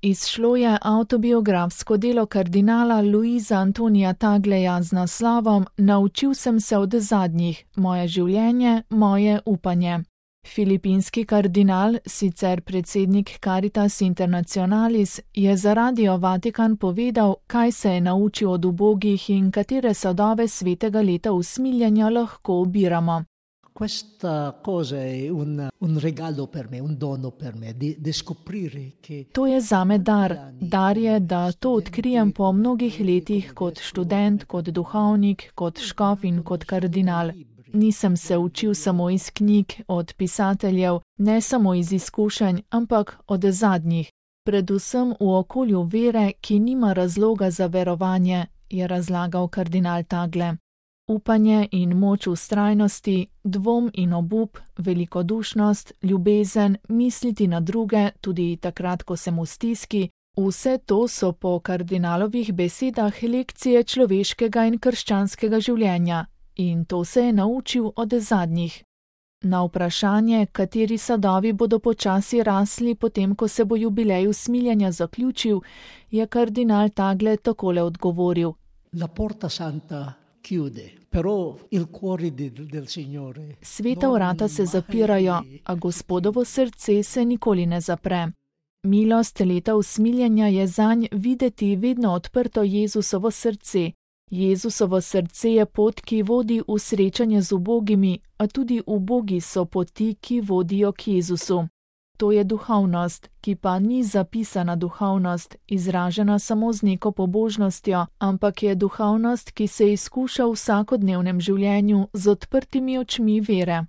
Izšlo je avtobiografsko delo kardinala Luisa Antonija Tagleja z naslovom Naučil sem se od zadnjih, moje življenje, moje upanje. Filipinski kardinal, sicer predsednik Caritas Internationalis, je za Radio Vatikan povedal, kaj se je naučil od ubogih in katere sadove svetega leta usmiljenja lahko ubiramo. Questa cosa è un regalo per me, un dono per me, di scoprire che... To je zame dar. Dar je, da to odkrijem po mnogih letih kot študent, kot duhovnik, kot škof in kot kardinal. Nisem se učil samo iz knjig, od pisateljev, ne samo iz izkušenj, ampak od zadnjih. Predvsem v okolju vere, ki nima razloga za verovanje, je razlagal kardinal Tagle. Upanje in moč vztrajnosti, dvom in obup, velikodušnost, ljubezen, misliti na druge, tudi takrat, ko sem v stiski, vse to so po kardinalovih besedah lekcije človeškega in krščanskega življenja. In to se je naučil od zadnjih. Na vprašanje, kateri sadovi bodo počasi rasli, potem ko se bo jubilej usmiljenja zaključil, je kardinal Tagle takole odgovoril. La porta santa chiude, però il cuore del Signore. Sveta vrata se zapirajo, a Gospodovo srce se nikoli ne zapre. Milost leta usmiljenja je zanj videti vedno odprto Jezusovo srce. Jezusovo srce je pot, ki vodi v srečanje z ubogimi, a tudi ubogi so poti, ki vodijo k Jezusu. To je duhovnost, ki pa ni zapisana duhovnost, izražena samo z neko pobožnostjo, ampak je duhovnost, ki se izkuša v vsakodnevnem življenju z odprtimi očmi vere.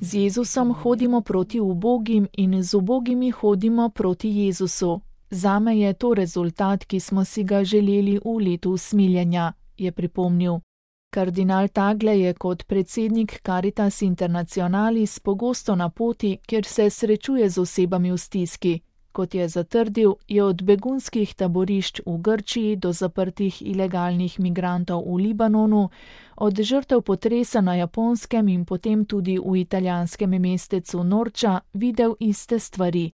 Z Jezusom hodimo proti ubogim in z ubogimi hodimo proti Jezusu. Zame je to rezultat, ki smo si ga želeli v letu usmiljenja, je pripomnil. Kardinal Tagle je kot predsednik Caritas Internationalis pogosto na poti, kjer se srečuje z osebami v stiski. Kot je zatrdil, je od begunskih taborišč v Grčiji do zaprtih ilegalnih migrantov v Libanonu, od žrtev potresa na Japonskem in potem tudi v italijanskem mestecu Norča videl iste stvari.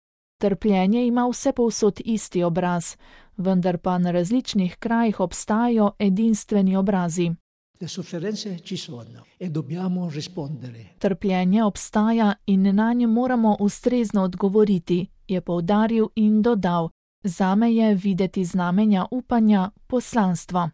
Trpljenje ima vsepovsod isti obraz, vendar pa na različnih krajih obstajajo edinstveni obrazi. Trpljenje obstaja in nanje moramo ustrezno odgovoriti, je poudaril in dodal. Zame je videti znamenja upanja poslanstva.